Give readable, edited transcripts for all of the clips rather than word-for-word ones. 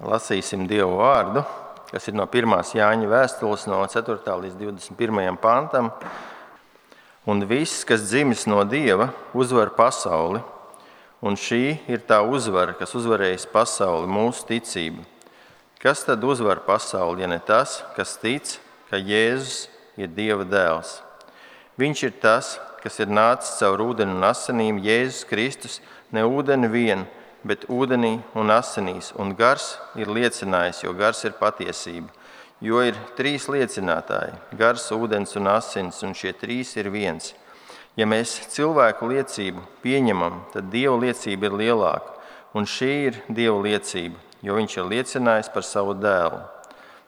lasīsim Dievu vārdu, kas ir no 1. Jāņa vēstules no 4. līdz 21. pantam. Un viss, kas dzimis no Dieva, uzvar pasauli, un šī ir tā uzvara, kas uzvarējis pasauli, mūsu ticība. Kas tad uzvar pasauli, ja ne tas, kas tic, ka Jēzus ir Dieva dēls? Viņš ir tas, kas ir nācis caur ūdeni un asinīm, Jēzus Kristus, ne ūdeni vien, bet ūdenī un asinīs, un gars ir liecinājis, jo gars ir patiesība. Jo ir 3 liecinātāji – gars, ūdens un asins, un šie 3 ir viens. Ja mēs cilvēku liecību pieņemam, tad Dieva liecība ir lielāka, un šī ir Dieva liecība, jo viņš ir liecinājis par savu dēlu.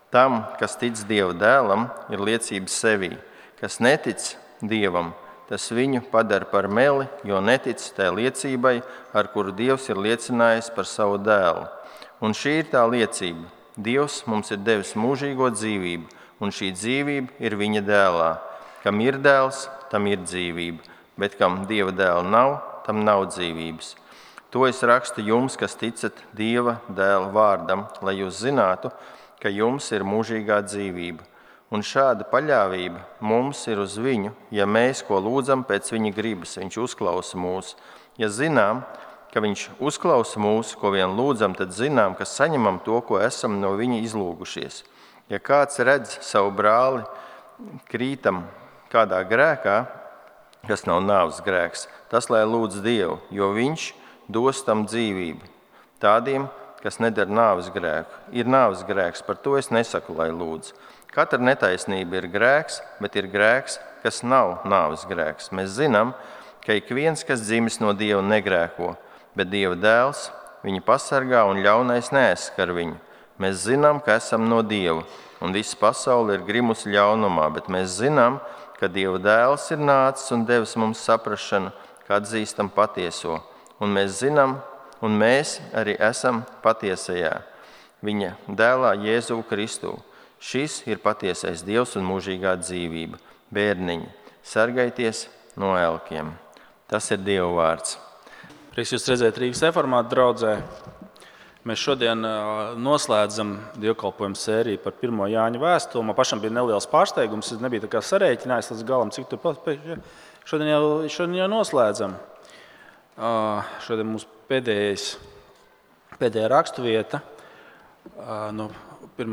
Tam, kas tic Dieva dēlam, ir liecība sevī. Kas netic Dievam, tas viņu padara par meli, jo netic tai liecībai, ar kuru Dievs ir liecinājis par savu dēlu. Un šī ir tā liecība. Dievs mums ir devis mūžīgo dzīvību, un šī dzīvība ir viņa dēlā. Kam ir dēls, tam ir dzīvība, bet kam Dieva dēla nav, tam nav dzīvības. To es rakstu jums, kas ticat Dieva dēla vārdam, lai jūs zinātu, ka jums ir mūžīgā dzīvība. Un šāda paļāvība mums ir uz viņu, ja mēs, ko lūdzam pēc viņa gribas, viņš uzklausa mūs. Ja zinām, ka viņš uzklausa mūs, ko vien lūdzam, tad zinām, ka saņemam to, ko esam no viņa izlūgušies. Ja kāds redz savu brāli krītam kādā grēkā, kas nav nāves grēks, tas lai lūdz Dievu, jo viņš dos tam dzīvību. Tādiem, kas nedara nāves grēku, ir nāves grēks, par to es nesaku, lai lūdz. Katra netaisnība ir grēks, bet ir grēks, kas nav nāves grēks. Mēs zinām, ka ik viens, kas dzimis no Dieva, negrēko, bet Dieva dēls viņu pasargā un ļaunais neaizskar viņu. Mēs zinām, ka esam no Dieva, un visa pasaule ir grimusi ļaunumā, bet mēs zinām, ka Dieva dēls ir nācis un devis mums saprašanu, ka atzīstam patieso. Un mēs zinām, un mēs arī esam patiesajā viņa dēlā Jēzu Kristu. Šis ir patiesais Dievs un mūžīgā dzīvība. Bērniņi, sargaities no elkiem. Tas ir Dieva vārds. Prieks jūs redzēt Rīgas reformātu draudzē. Mēs šodien noslēdzam dievkalpojumu sēriju par 1. Jāņa vēstuli. Man pašam bija neliels pārsteigums, es nebiju tā kā sarēķinājis līdz galam, cik tur šodien jau noslēdzam. Šodien mums pēdējā rakstuvieta no 1.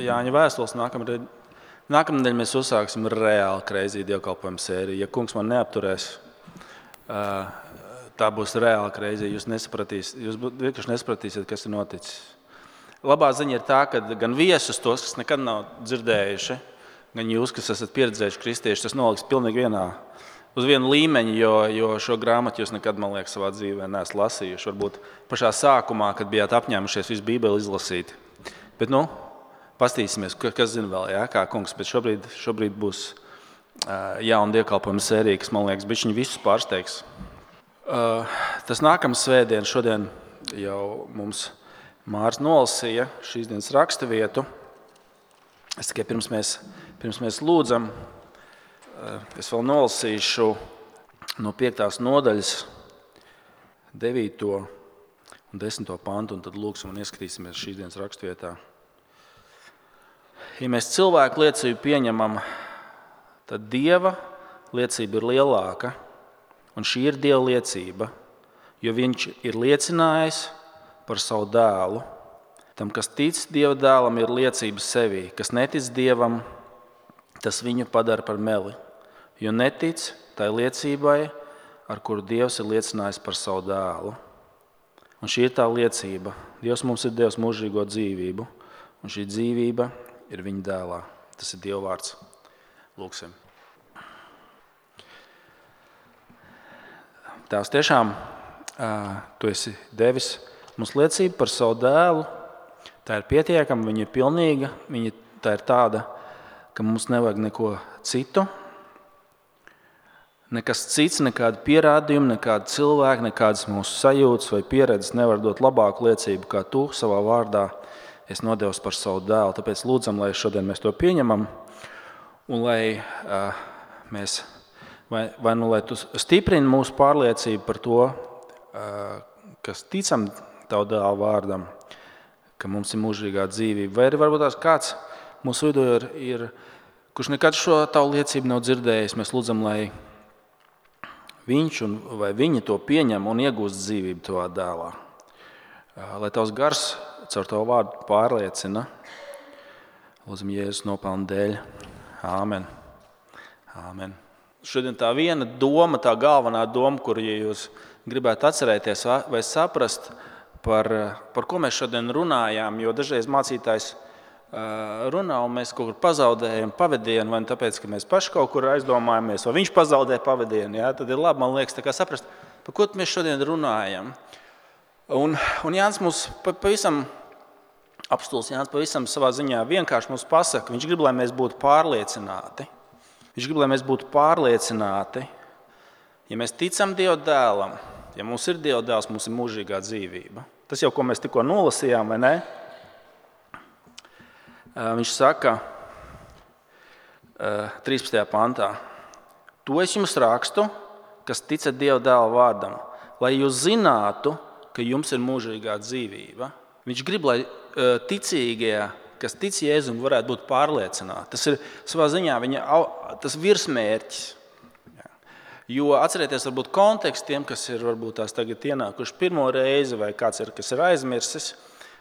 Jāņa vēstules. Nākamnedēļ mēs uzsāksim reāli crazy dievkalpojumu sēriju. Ja kungs man neapturēs, tā būs reāli crazy. Jūs vienkārši nesapratīsiet, kas ir noticis. Labā ziņa ir tā, ka gan viesus tos, kas nekad nav dzirdējuši, gan jūs, kas esat pieredzējuši kristieši, tas noliks pilnīgi uz vienu līmeņu, jo šo grāmatu jūs nekad, man liekas, savā dzīvē neesat lasījuši. Varbūt pašā sākumā, kad bijāt apņēmušies visu Bībeli izlasīt. Bet, pastīsimies, kas zina vēl, kā kungs, bet šobrīd būs jauna dievkalpojuma sērija, kas, man liekas, bišķiņi visus pārsteigs. Tas nākamais svētdien, šodien jau mums Mārs nolasīja šīs dienas raksturvietu. Es tikai pirms mēs lūdzam, es vēl nolasīšu no 5. nodaļas 9. un 10. pantu, un tad lūksim un ieskatīsimies šīs dienas raksturvietā. Ja mēs cilvēku liecību pieņemam, tad Dieva liecība ir lielāka, un šī ir Dieva liecība, jo viņš ir liecinājis par savu dēlu. Tam, kas tic Dieva dēlam, ir liecība sevī. Kas netic Dievam, tas viņu padara par meli, jo netic tai liecībai, ar kuru Dievs ir liecinājis par savu dēlu. Un šī ir tā liecība. Dievs mums ir devis mūžīgo dzīvību, un šī dzīvība ir viņa dēlā. Tas ir Dieva vārds. Lūksim. Tēvs, tiešām tu esi devis mums liecību par savu dēlu. Tā ir pietiekama, viņa ir pilnīga, tā ir tāda, ka mums nevajag neko citu. Nekas cits, nekāda pierādījuma, nekāda cilvēka, nekādas mūsu sajūtas vai pieredzes nevar dot labāku liecību, kā tu savā vārdā esi nodevis par savu dēlu. Tāpēc lūdzam, lai šodien mēs to pieņemam un lai lai tu stiprini mūsu pārliecību par to, kas ticam tavu dēlu vārdam, ka mums ir mūžīgā dzīvība. Vai arī varbūt tās kāds mūsu vidū ir kurš nekad šo tavu liecību nav dzirdējis. Mēs lūdzam, lai viņš vai viņa to pieņem un iegūst dzīvību tavā dēlā. Lai tavs gars caur tavu vārdu pārliecina. Lūdzam Jēzus nopelnu dēļ. Āmen. Āmen. Šodien tā viena doma, tā galvenā doma, kuru jūs gribētu atcerēties vai saprast, par ko mēs šodien runājām, jo dažreiz mācītājs runā un mēs kaut kur pazaudējam pavadienu, vai tāpēc, ka mēs paši kaut kur aizdomājamies, vai viņš pazaudē pavadienu, ja? Tad ir labi, man liekas, tā kā saprast, par ko mēs šodien runājam. Un Jānis mums pavisam, apstulis Jānis pavisam savā ziņā vienkārši mums pasaka, viņš grib, lai mēs būtu pārliecināti. Viņš grib, lai mēs būtu pārliecināti, ja mēs ticam Dieva dēlam, ja mums ir Dieva dēls, mums ir mūžīgā dzīvība. Tas jau, ko mēs tikko nolasījām, vai ne? Viņš saka 13. pantā: To es jums rakstu, kas ticat Dieva dēla vārdam, lai jūs zinātu, ka jums ir mūžīgā dzīvība. Viņš grib, lai ticīgie, kas tic Jēzum, varētu būt pārliecināti. Tas ir savā ziņā tas virsmērķis. Jo atcerieties, varbūt konteksts tiem, kas ir varbūt tās tagad ienākuši pirmo reizi vai kāds ir, kas ir aizmirsis,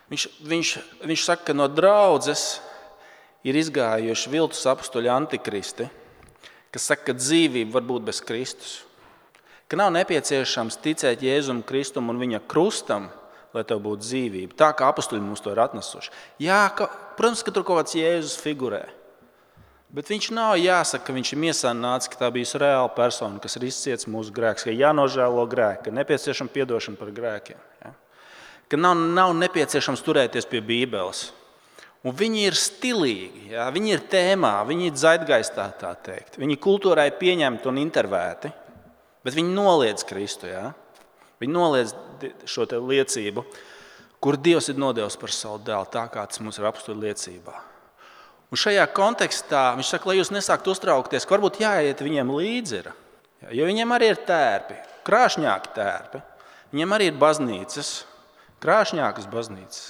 viņš saka, ka no draudzes ir izgājuši viltus apustuļi antikristi, kas saka, ka dzīvība var būt bez Kristus. Ka nav nepieciešams ticēt Jēzum Kristum un viņa krustam, lai tev būtu dzīvība. Tā kā apustuļi mums to ir atnesuši. Jā, protams, ka tur kaut kāds Jēzus figurē. Bet viņš nav jāsaka, ka viņš ir miesā nācis, ka tā bijusi reāla persona, kas ir izciets mūsu grēks, ka jānožēlo grēki, ka nepieciešama piedošana par grēkiem. Ja? Ka nav nepieciešams turēties pie Bībeles. Un viņi ir stilīgi, ja? Viņi ir tēmā, viņi ir zeitgaistā, tā teikt. Viņi kultūrai pieņemti un intervēti, bet viņi noliedz Kristu. Ja? Viņi noliedz šo te liecību, kur Dievs ir nodevis par savu dēlu, tā kā tas mums ir apustuļu liecībā. Un šajā kontekstā viņš saka, lai jūs nesāktu uztraukties, ka varbūt jāiet viņiem līdzi. Jo viņiem arī ir tērpi, krāšņāki tērpi. Viņiem arī ir baznīcas, krāšņākas baznīcas,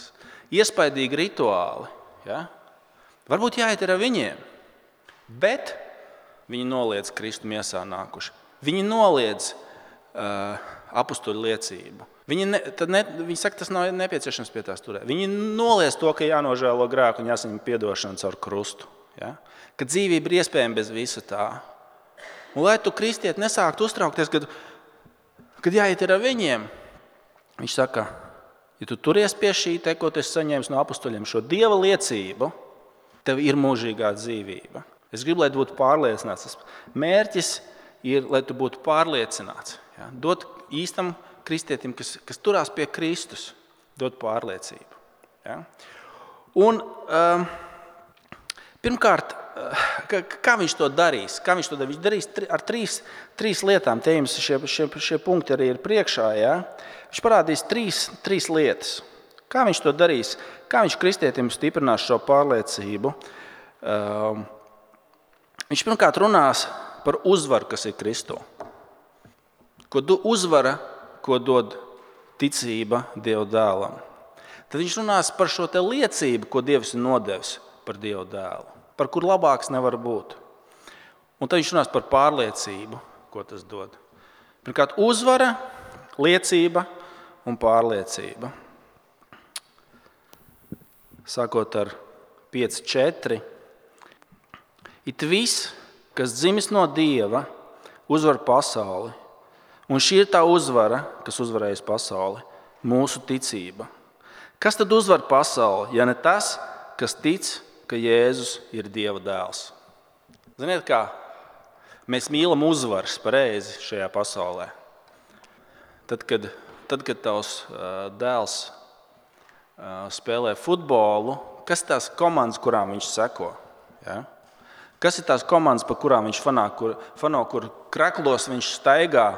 iespaidīgi rituāli. Ja? Varbūt jāiet ar viņiem, bet viņi noliedz Kristu miesā nākuši. Viņi noliedz apustuļu liecību. Viņi saka, tas nav nepieciešams pie tās turēt. Viņi noliedz to, ka jānožēlo grēku un jāsaņem piedošanu caur krustu. Ja? Ka dzīvība ir iespējama bez visa tā. Un lai tu kristieti nesāktu uztraukties, kad jāiet ar viņiem, viņš saka, ja tu turies pie šī, ko tu esi saņēmis no apustuļiem, šo Dieva liecību, tev ir mūžīgā dzīvība. Es gribu, lai tu būtu pārliecināts. Tas mērķis ir, lai tu būtu pārliecināts. Ja? Dot īstam kristietim, kas turās pie Kristus, dot pārliecību. Ja? Un pirmkārt, kā viņš to darīs? Viņš darīs ar trīs lietām. Te jums šie punkti arī ir priekšā. Ja? Viņš parādīs trīs lietas. Kā viņš to darīs? Kā viņš kristietim stiprinās šo pārliecību? Viņš pirmkārt runās par uzvaru, kas ir Kristū. Uzvara, ko dod ticība Dieva dēlam. Tad viņš runās par šo te liecību, ko Dievs ir nodevis par Dieva dēlu, par kur labāks nevar būt. Un tad viņš runās par pārliecību, ko tas dod. Pirmkārt, uzvara, liecība un pārliecība. Sākot ar 5.4. It viss, kas dzimis no Dieva, uzvar pasauli. Un šī ir tā uzvara, kas uzvarējas pasauli, mūsu ticība. Kas tad uzvar pasauli, ja ne tas, kas tic, ka Jēzus ir Dieva dēls? Ziniet kā? Mēs mīlam uzvaras pareizi šajā pasaulē. Tad, kad tavs dēls spēlē futbolu, kas ir tās komandas, kurām viņš seko? Ja? Kas ir tās komandas, pa kurām viņš fano, kur kreklos viņš staigā,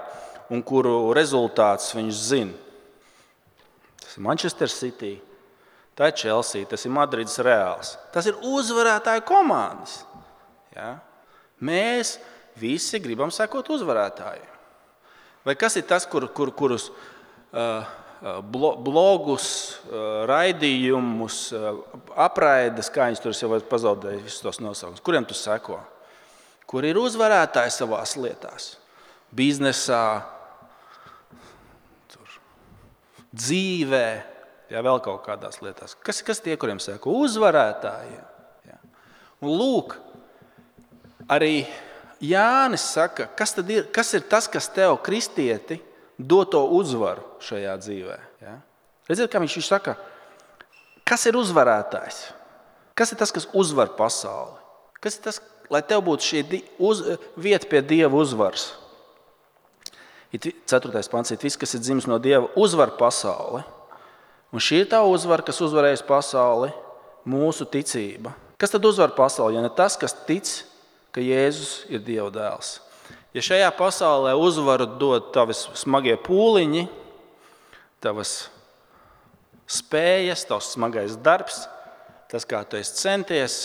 un kuru rezultātus viņš zina? Tas ir Manchester City, tā ir Chelsea, tas ir Madrides Reāls. Tas ir uzvarētāju komandas. Ja? Mēs visi gribam sekot uzvarētājiem. Vai kas ir tas, kurus blogus, raidījumus, apraides, kā viņas tur jau pazaudēja visus tos nosaukumus. Kuriem tu seko? Kur ir uzvarētāji savās lietās? Biznesā, dzīvē, vēl kaut kādās lietās. Kas tie, kuriem seko? Uzvarētājiem. Jā. Un lūk, arī Jānis saka, kas ir tas, kas tev, kristieti, dod to uzvaru šajā dzīvē. Ja? Redziet, kā viņš saka, kas ir uzvarētājs? Kas ir tas, kas uzvar pasauli? Kas ir tas, lai tev būtu šī vieta pie Dieva uzvaras? 4. pants, viss, kas ir dzimis no Dieva, uzvar pasauli. Un šī ir tā uzvara, kas uzvarējusi pasauli, mūsu ticība. Kas tad uzvar pasauli, ja ne tas, kas tic, ka Jēzus ir Dieva dēls? Ja šajā pasaulē uzvaru dod tavas smagie pūliņi, tavas spējas, tavs smagais darbs, tas, kā tu esi centies,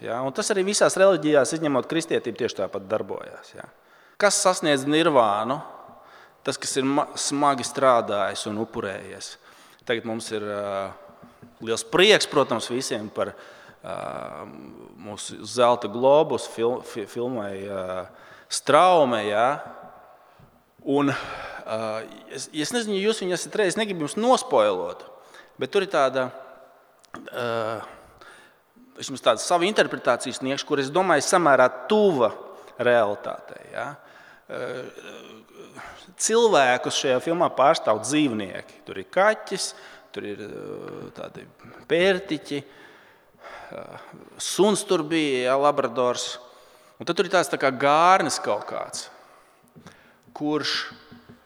ja? Un tas arī visās reliģijās, izņemot kristietību, tieši tāpat darbojās. Ja? Kas sasniedz nirvānu? Tas, kas ir smagi strādājis un upurējies. Tagad mums ir liels prieks, protams, visiem par mūsu zelta globus filmai Straume. Ja? Un es nezinu, ja jūs viņu esat reiz, negribu jums nospoilot, bet tur ir tāda savu interpretāciju sniegšu, kur es domāju samērā tuva realitātei. Ja? Cilvēkus šajā filmā pārstāv dzīvnieki. Tur ir kaķis, tur ir tādi pērtiķi, suns tur bija, labradors. Un tad tur ir tāds tā kā gārnis kaut kāds, kurš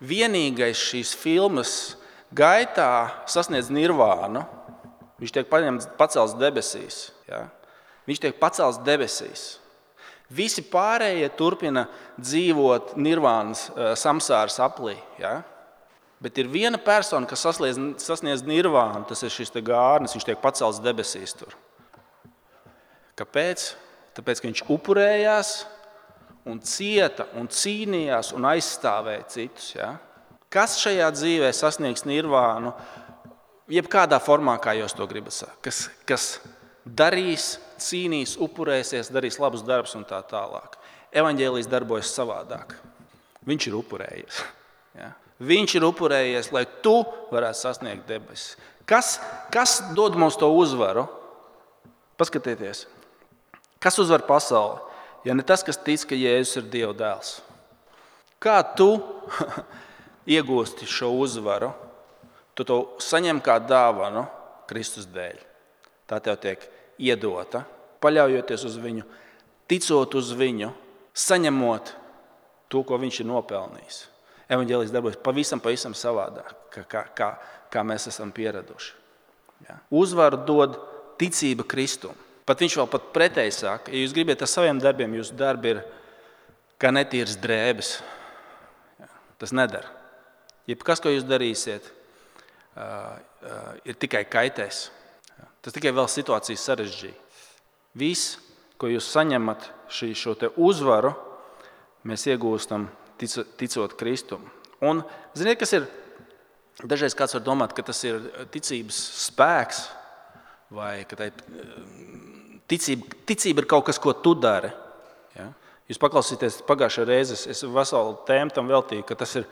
vienīgais šīs filmas gaitā sasniedz nirvānu. Viņš tiek pacelts debesīs. Ja? Viņš tiek pacelts debesīs. Visi pārējie turpina dzīvot nirvānas samsāras aplī. Ja? Bet ir viena persona, kas sasniedz nirvānu, tas ir šis gārnis, viņš tiek pacelts debesīs tur. Kāpēc? Tāpēc, ka viņš upurējās un cieta un cīnījās un aizstāvēja citus. Ja? Kas šajā dzīvē sasniegs nirvānu, jebkādā formā, kā jūs to gribat sakt? Kas darīs, cīnīs, upurēsies, darīs labus darbus un tā tālāk. Evaņģēlijs darbojas savādāk. Viņš ir upurējies. Ja? Viņš ir upurējies, lai tu varētu sasniegt debesis. Kas dod mums to uzvaru? Paskatieties. Kas uzvar pasauli? Ja ne tas, kas tic, ka Jēzus ir Dieva dēls. Kā tu iegūsti šo uzvaru? Tu to saņem kā dāvanu Kristus dēļ. Tā tev tiek iedota, paļaujoties uz viņu, ticot uz viņu, saņemot to, ko viņš ir nopelnījis. Evaņģēlijs darbojas pavisam savādāk, kā mēs esam pieraduši. Ja? Uzvaru dod ticība Kristum. Pat viņš vēl pat pretēji saka, ja jūs gribat ar saviem darbiem, jūsu darbi ir kā netīras drēbes. Ja? Tas nedara. Jebkas, ko jūs darīsiet, ir tikai kaitēs. Tas tikai vēl situācijas sarežģīja. Viss, ko jūs saņemat šo te uzvaru, mēs iegūstam ticot Kristum. Un ziniet, kas ir? Dažreiz kāds var domāt, ka tas ir ticības spēks, vai ka ticība ir kaut kas, ko tu dari. Ja? Jūs paklausīties pagājušajā reizē, es veselu tēmu tam veltīju, ka tas ir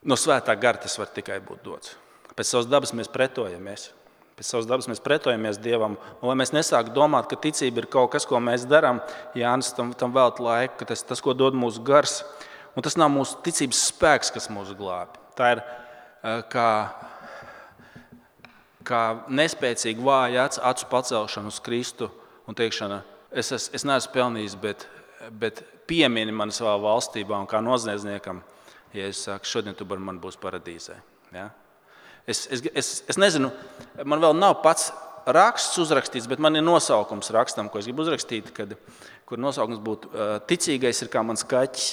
no svētā gara, tas var tikai būt dots. Pēc savas dabas mēs pretojamies. Pēc savas dabas mēs pretojamies Dievam. Un lai mēs nesāktu domāt, ka ticība ir kaut kas, ko mēs darām, Jānis tam velta laiku, ka tas, ko dod mūsu gars. Un tas nav mūsu ticības spēks, kas mūs glābi. Tā ir kā nespēcīga vāja acu pacelšana uz Kristu un teikšana, es neesmu pelnījis, bet piemini mani savā valstībā un kā noziedzniekam, ja es saku, šodien tu ar mani būs paradīzē. Ja? Es nezinu, man vēl nav pats raksts uzrakstīts, bet man ir nosaukums rakstam, ko es gribu uzrakstīt, kur nosaukums būtu ticīgais ir kā mans kaķis.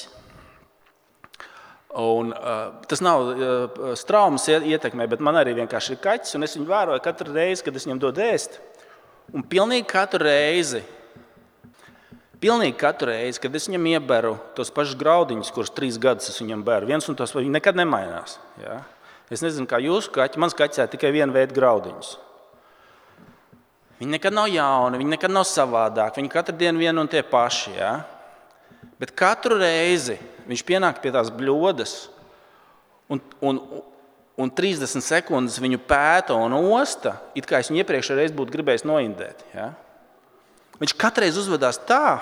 Un, tas nav straumas ietekmē, bet man arī vienkārši ir kaķis, un es viņu vēroju katru reizi, kad es viņam dodu ēst. Un pilnīgi katru reizi, kad es viņam ieberu tos pašus graudiņus, kurus 3 gadus es viņam beru, viens un tos viņi nekad nemainās. Ja? Es nezinu, kā jūsu kaķi, mans kaķis ēd tikai vienu veidu graudiņus. Viņi nekad nav jauni, viņi nekad nav savādāk, viņi katru dienu vien un tie paši. Ja? Bet katru reizi viņš pienāk pie tās bļodas un 30 sekundes viņu pēta un osta, it kā es viņu iepriekšējā reizi būtu gribējis noindēt. Ja? Viņš katreiz uzvedās tā,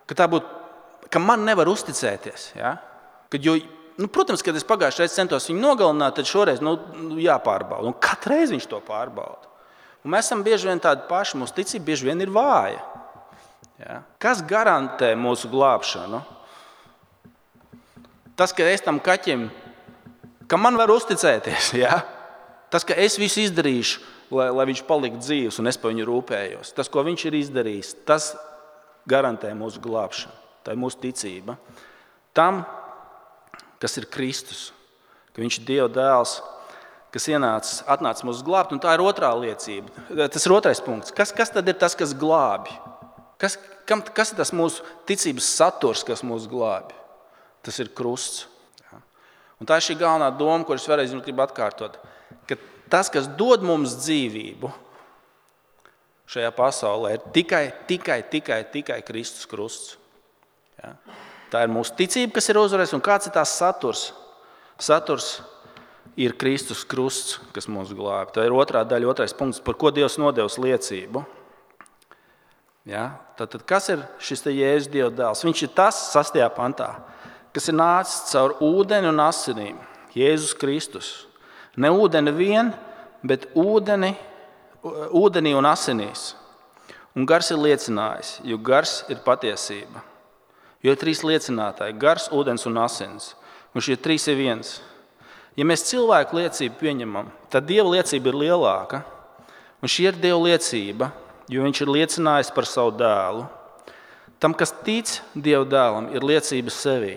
ka man nevar uzticēties. Ja? Protams, kad es pagājušajā reizē centos viņu nogalināt, tad šoreiz jāpārbauda. Un katru reizi viņš to pārbauda. Un mēs esam bieži vien tādi paši, mūsu ticība bieži vien ir vāja. Ja? Kas garantē mūsu glābšanu? Tas, ka es tam kaķim, ka man var uzticēties. Ja? Tas, ka es visu izdarīšu, lai viņš paliktu dzīvs un es par viņu rūpējos. Tas, ko viņš ir izdarījis, tas garantē mūsu glābšanu. Tā ir mūsu ticība. Tam, kas ir Kristus, ka viņš ir Dieva dēls, kas atnāca mūs glābt, un tā ir otrā liecība. Tas ir otrais punkts. Kas tad ir tas, kas glābi? Kas ir tas mūsu ticības saturs, kas mūs glābi? Tas ir krusts. Ja? Un tā ir šī galvenā doma, ko es vēlreiz gribu atkārtot. Ka tas, kas dod mums dzīvību šajā pasaulē, ir tikai Kristus krusts. Ja? Tā ir mūsu ticība, kas ir uzvarējis, un kāds ir tās saturs? Saturs ir Kristus krusts, kas mūs glābi. Tā ir otrā daļa, otrais punkts, par ko Dievs nodevis liecību. Ja? Tad kas ir šis Jēzus Dieva dēls? Viņš ir tas 6. pantā, kas ir nācis caur ūdeni un asinīm. Jēzus Kristus. Ne ūdeni vien, bet ūdenī un asinīs. Un gars ir liecinājis, jo gars ir patiesība. Jo ir 3 liecinātāji – gars, ūdens un asins. Un šie 3 ir viens. Ja mēs cilvēku liecību pieņemam, tad Dieva liecība ir lielāka. Un šī ir Dieva liecība, jo viņš ir liecinājis par savu dēlu. Tam, kas tic Dieva dēlam, ir liecība sevī.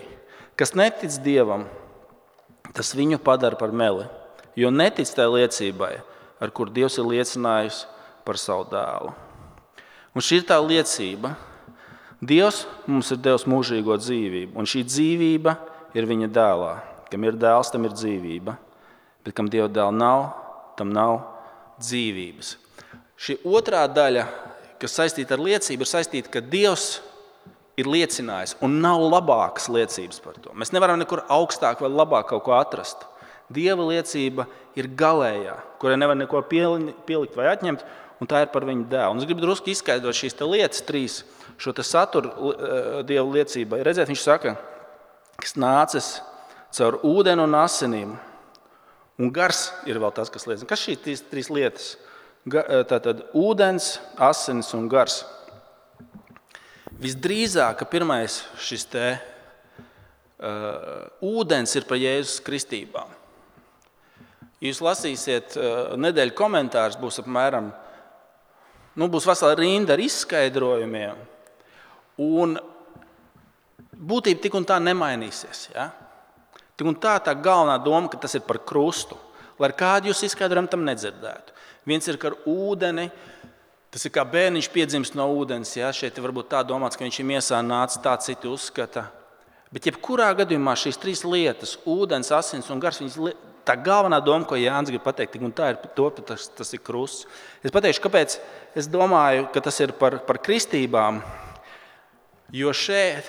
Kas netic Dievam, tas viņu padara par meli, jo netic tai liecībai, ar kur Dievs ir liecinājis par savu dēlu. Un šī ir tā liecība. Dievs mums ir devis mūžīgo dzīvību, un šī dzīvība ir viņa dēlā. Kam ir dēls, tam ir dzīvība, bet kam Dieva dēla nav, tam nav dzīvības. Šī otrā daļa, kas saistīta ar liecību, ir saistīta, ka Dievs ir liecinājis, un nav labākas liecības par to. Mēs nevaram nekur augstāk vai labāk kaut ko atrast. Dieva liecība ir galējā, kurai nevar neko pielikt vai atņemt, un tā ir par viņu dēlu. Un es gribu drusku izskaidrot šīs lietas 3, šo saturu Dieva liecībai. Redzēt, viņš saka, kas nācis caur ūdeni un asinīm, un gars ir vēl tas, kas liecina. Kas šīs 3 lietas? Tātad ūdens, asinis un gars. Visdrīzāk, ka pirmais šis ūdens ir par Jēzus kristībām. Jūs lasīsiet nedēļu komentārus, būs apmēram, būs vesela rinda ar izskaidrojumiem, un būtība tik un tā nemainīsies. Ja? Tik un tā galvenā doma, ka tas ir par krustu, lai ar kādu jūs izskaidrojumu tam nedzirdētu. Viens ir ar ūdeni, tas ir kā bērniņš piedzimst no ūdens. Ja? Šeit varbūt tā domāts, ka viņš ir miesā nācis, tā citi uzskata. Bet jebkurā gadījumā šīs 3 lietas, ūdens, asins un gars, tā galvenā doma, ko Jānis grib pateikt, un tā ir to, ka tas ir krusts. Es pateikšu, kāpēc es domāju, ka tas ir par kristībām. Jo šeit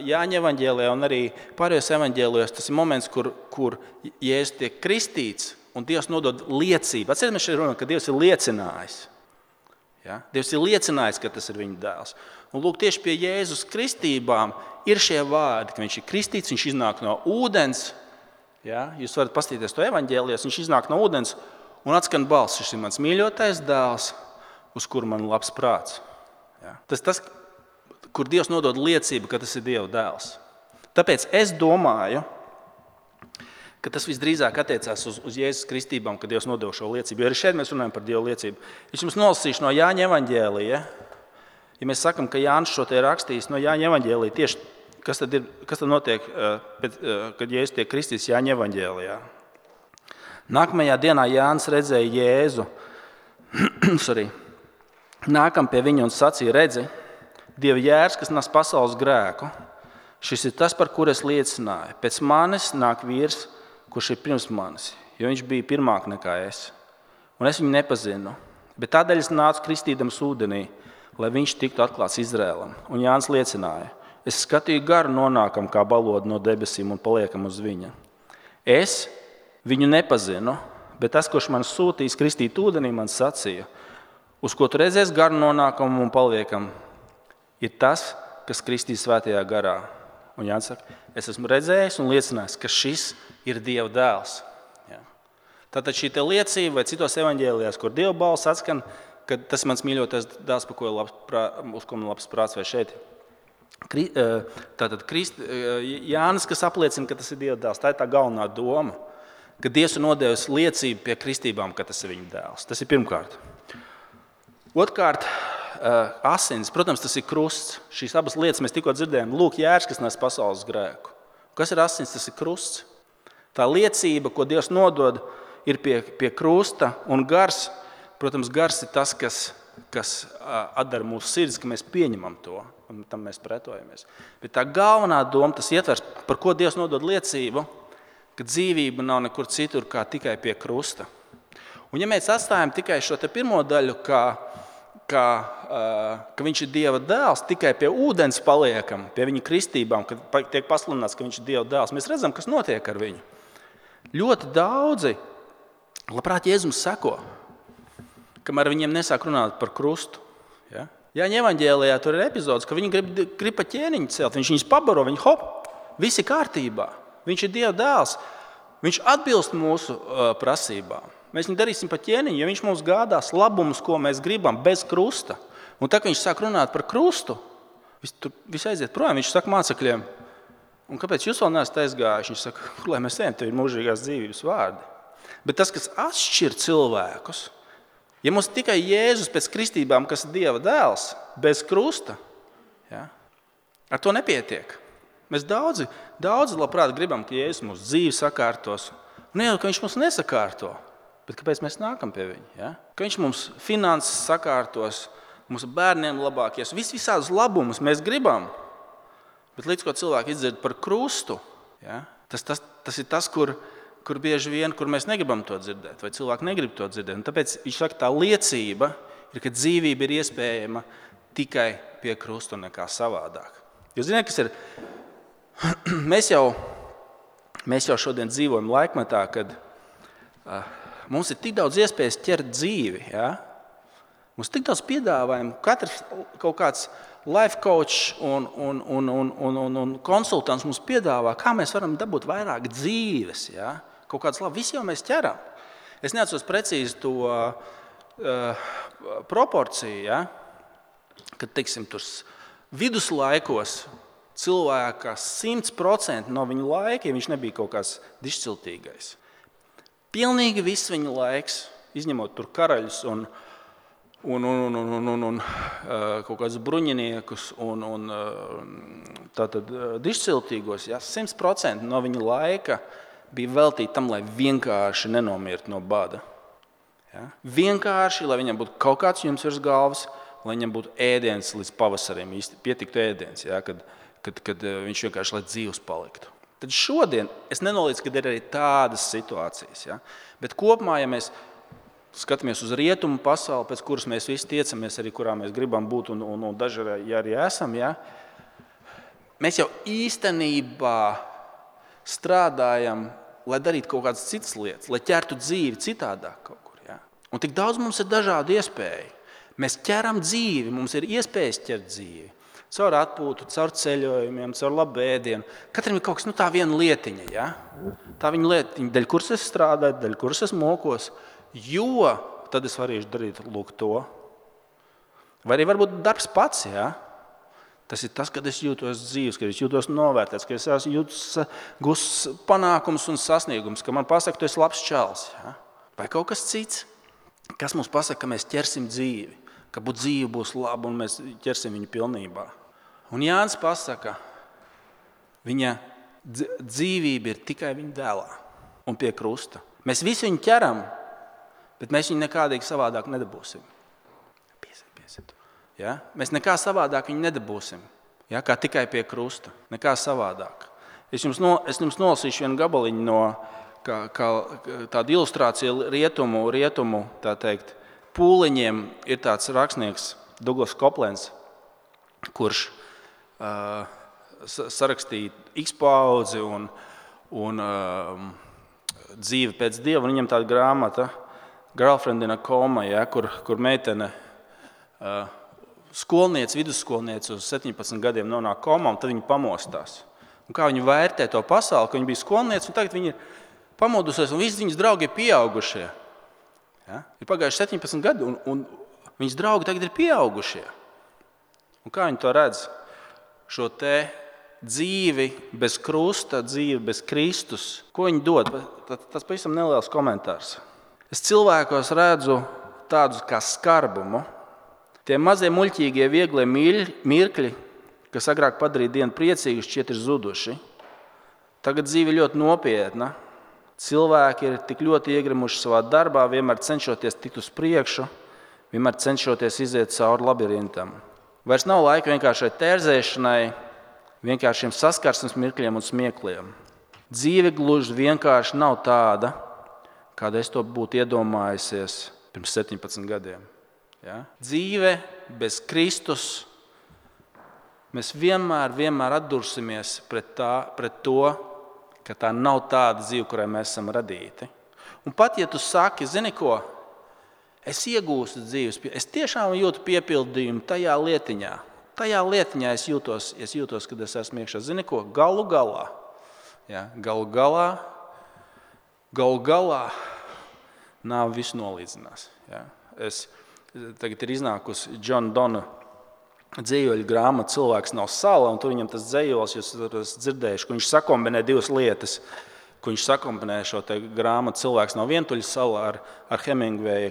Jāņa evaņģēlijā un arī pārējos evaņģēlijos tas ir moments, kur Jēzus tiek kristīts un Dievs nodod liecību. Atcerieties, mēs šeit runājam, ka Dievs ir liecinājis. Ja? Dievs ir liecinājis, ka tas ir viņa dēls. Un lūk, tieši pie Jēzus kristībām ir šie vārdi, ka viņš ir kristīts, viņš iznāk no ūdens. Ja? Jūs varat paskatīties to evaņģēlijos, viņš iznāk no ūdens un atskan balss. Šis ir mans mīļotais dēls, uz kuru man labs prāts. Ja? Tas, kur Dievs nodod liecību, ka tas ir Dieva dēls. Tāpēc es domāju, ka tas visdrīzāk attiecās uz Jēzus kristībām, kad Dievs nodeva šo liecību. Jo arī šeit mēs runājam par Dieva liecību. Es jums nolasīšu no Jāņa evaņģēlija. Ja mēs sakam, ka Jānis šo te ir rakstījis no Jāņa evaņģēlija, tieši kas tad notiek, kad Jēzus tiek kristīts Jāņa evaņģēlijā. Nākamajā dienā Jānis redzēja Jēzu. Nākam pie viņa un sacīja, redzi, Dieva jērs, kas nes pasaules grēku. Šis ir tas, par kur es liecināju. Pēc manis nāk vīrs, kurš ir pirms manis, jo viņš bija pirmāk nekā es. Un es viņu nepazinu. Bet tādēļ es nācu kristīdams ūdenī, lai viņš tiktu atklāts Izrēlam. Un Jānis liecināja, es skatīju garu nonākam kā balodu no debesīm un paliekam uz viņa. Es viņu nepazinu, bet tas, kurš man sūtīs kristīt ūdenī, man sacīja, uz ko tu redzēs garu nonākam un paliekam, ir tas, kas kristīs svētajā garā. Un Jānis saka, es esmu redzējis un liecinājis, ka šis ir Dieva dēls. Ja. Tātad šī liecība, vai citos evaņģēlijās, kur Dieva balss atskan, ka tas mans mīļotais dēls, uz ko man labs prāts, vai šeit. Tātad Jānis, kas apliecina, ka tas ir Dieva dēls, tā ir tā galvenā doma, ka Dievs ir nodevis liecību pie kristībām, ka tas ir viņa dēls. Tas ir pirmkārt. Otrkārt, asins, protams, tas ir krusts. Šīs abas lietas mēs tikko dzirdējām. Lūk, jērs, kas nes pasaules grēku. Kas ir asins? Tas ir krusts. Tā liecība, ko Dievs nodod, ir pie krusta, un gars, protams, gars ir tas, kas atdara mūsu sirds, ka mēs pieņemam to, un tam mēs pretojamies. Bet tā galvenā doma, tas ietvers, par ko Dievs nodod liecību, ka dzīvība nav nekur citur, kā tikai pie krusta. Un ja mēs atstājam tikai šo te pirmo daļu, ka viņš ir Dieva dēls, tikai pie ūdens paliekam, pie viņa kristībām, kad tiek pasludināts, ka viņš ir Dieva dēls, mēs redzam, kas notiek ar viņu. Ļoti daudzi, labprāt, Jēzum seko, kamēr viņiem nesāk runāt par krustu. Ja? Jāņa evaņģēlijā tur ir epizodes, ka viņi grib pa ķēniņu celt, viņš viņus pabaro, viņi hop, visi kārtībā. Viņš ir Dieva dēls, viņš atbilst mūsu prasībām. Mēs viņu darīsim pa ķēniņu, ja viņš mums gādās labumus, ko mēs gribam, bez krusta. Un tā, kad viņš sāk runāt par krustu, viss aiziet projām, viņš saka mācekļiem, un kāpēc jūs vēl neesat aizgājuši? Viņš saka, lai mēs ejam, tev ir mūžīgās dzīvības vārdi. Bet tas, kas atšķir cilvēkus, ja mums tikai Jēzus pēc kristībām, kas ir Dieva dēls, bez krusta, ja, ar to nepietiek. Mēs daudzi labprāt gribam, ka Jēzus mūsu dzīvi sakārtos. Un jau, ka viņš mums nesakārto. Bet kāpēc mēs nākam pie viņa? Ja? Ka viņš mums finanses sakārtos, mūsu bērniem labākies, visādus labumus mēs gribam. Bet līdz ko cilvēki izdzird par krustu, ja? tas ir tas, kur bieži vien, kur mēs negribam to dzirdēt, vai cilvēki negrib to dzirdēt. Un tāpēc viņš saka, tā liecība ir, ka dzīvība ir iespējama tikai pie krusta un nekā savādāk. Jūs zināt, kas ir? Mēs jau šodien dzīvojam laikmetā, kad mums ir tik daudz iespējas ķert dzīvi. Ja? Mums ir tik daudz piedāvājumu. Katrs kaut kāds life coach un konsultants mums piedāvā, kā mēs varam dabūt vairāk dzīves. Ja? Kaut kāds labi, visi jau mēs ķeram. Es neatceros precīzi to proporciju, ja? Kad, teiksim, tur viduslaikos cilvēka 100% no viņa laika, ja viņš nebija kaut kāds dišciltīgais. Pilnīgi viss viņa laiks, izņemot tur karaļus un kaut kādus bruņiniekus un tātad dišciltīgos, ja, 100% no viņa laika bija veltīti tam, lai vienkārši nenomirt no bada. Ja? Vienkārši, lai viņam būtu kaut kāds jums virs galvas, lai viņam būtu ēdiens līdz pavasarim, pietiktu ēdiens, ja? Kad viņš vienkārši lai dzīvs paliktu. Tad šodien es nenolīdzu, ka ir arī tādas situācijas. Ja? Bet kopumā, ja mēs skatāmies uz rietumu pasauli, pēc kuras mēs visi tiecamies, arī kurā mēs gribam būt un daži arī esam, ja? Mēs jau īstenībā strādājam, lai darītu kaut kādas citas lietas, lai ķertu dzīvi citādāk kaut kur. Ja? Un tik daudz mums ir dažādu iespēju. Mēs ķeram dzīvi, mums ir iespējas ķert dzīvi. Caur atpūtu, caur ceļojumiem, caur labu ēdienu. Katram ir kaut kas, tā viena lietiņa. Ja? Tā viņa lietiņa, daļ kuras es strādāju, daļ kuras es mokos, jo tad es varēšu darīt lūk to. Vai arī varbūt darbs pats. Ja? Tas ir tas, kad es jūtos dzīves, kad es jūtos novērtēts, kad es jūtos gūs panākums un sasniegums, ka man pasaka, tu esi labs čalis. Ja? Vai kaut kas cits, kas mums pasaka, ka mēs ķersim dzīvi, ka dzīve būs laba un mēs ķersim viņu pilnībā. Un Jānis pasaka, viņa dzīvība ir tikai viņa dēlā un pie krusta. Mēs visi viņu ķeram, bet mēs viņu nekādīgi savādāk nedabūsim. Piesiet. Ja? Mēs nekā savādāk viņu nedabūsim, ja? Kā tikai pie krusta. Nekā savādāk. Es jums nolasīšu vienu gabaliņu no tāda ilustrācija rietumu tā teikt, pūliņiem ir tāds rakstnieks Douglas Copelands, kurš sarakstīja X paudzi un dzīve pēc Dieva. Viņam tāda grāmata Girlfriend in a Coma, ja, kur meitene vidusskolniece uz 17 gadiem nonāk komā, un tad viņa pamostās. Un kā viņa vērtē to pasauli, ka viņa bija skolniece, un tagad viņa ir pamodusies, un visi viņas draugi ir pieaugušie. Ja? Ir pagājuši 17 gadi, un viņas draugi tagad ir pieaugušie. Un kā viņi to redz? Šo te dzīvi bez krusta, dzīvi bez Kristus. Ko viņi dod? Tas pavisam neliels komentārs. Es cilvēkos redzu tādus kā skarbumu. Tie mazie muļķīgie, vieglie mirkļi, kas agrāk padarīja dienu priecīgu, šķiet ir zuduši. Tagad dzīve ļoti nopietna. Cilvēki ir tik ļoti iegrimuši savā darbā, vienmēr cenšoties tikt uz priekšu, vienmēr cenšoties iziet cauri labirintam. Vairs nav laika vienkāršai tērzēšanai, vienkāršiem saskarsmes mirkļiem un smiekliem. Dzīve gluži vienkārši nav tāda, kāda es to būtu iedomājusies pirms 17 gadiem. Ja? Dzīve bez Kristus, mēs vienmēr atdursimies pret to, ka tā nav tāda dzīve, kurai mēs esam radīti. Un pat, ja tu saki, zini ko, es iegūstu dzīves, es tiešām jūtu piepildījumu tajā lietiņā. Tajā lietiņā es jūtos, kad es esmu iekšā. Zini ko, galu galā nāve visu nolīdzinās. Ja? Tagad ir iznākusi John Donne dzējoļu grāmata Cilvēks nav sala, un tur viņam tas dzējols, jūs esat dzirdējuši, ka viņš sakombinē divas lietas. Viņš sakombinē šo grāmatu Cilvēks nav vientuļa sala ar Hemingwaya,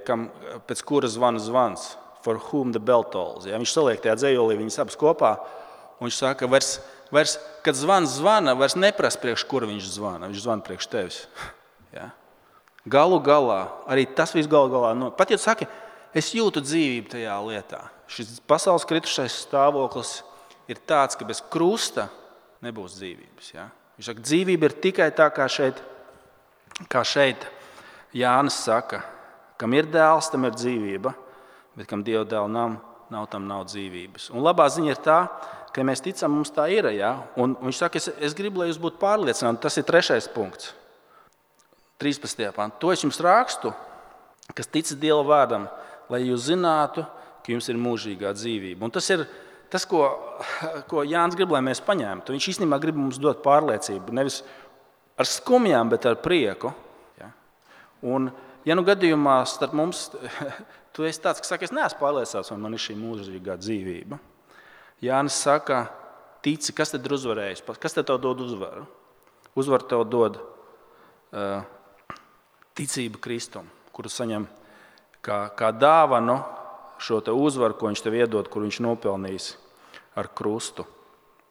pēc kura zvana zvans, for whom the bell tolls. Ja? Viņš saliek tajā dzējolī viņas abas kopā, un viņš saka, vairs, kad zvans zvana, vairs neprasa priekš kura viņš zvana priekš tevis. Ja? Galu galā, arī tas viss galu galā, pat ja tu saki, es jūtu dzīvību tajā lietā. Šis pasaules kritušais stāvoklis ir tāds, ka bez krusta nebūs dzīvības. Ja? Viņš saka, dzīvība ir tikai tā, kā šeit Jānis saka, kam ir dēls, tam ir dzīvība, bet kam Dieva dēla nav, tam nav dzīvības. Un labā ziņa ir tā, ka mēs ticam, mums tā ir. Ja? Un viņš saka, es gribu, lai jūs būtu pārliecināti. Tas ir 3. punkts. 13. pantā. To es jums rakstu, kas tic Dieva vārdam, lai jūs zinātu, ka jums ir mūžīgā dzīvība. Un tas ir tas, ko Jānis grib, lai mēs paņemtu. Viņš īstenībā grib mums dot pārliecību. Nevis ar skumjām, bet ar prieku. Ja? Un, ja nu gadījumā starp mums, tu esi tāds, kas saka, es neesmu pārliecināts, vai man ir šī mūžīgā dzīvība. Jānis saka, tici, kas tad ir uzvarējis? Kas tad tev dod uzvaru? Uzvaru tev dod ticība Kristum, kuru saņem kā dāvanu šo te uzvaru, ko viņš tev iedod, kur viņš nopelnījis ar krustu.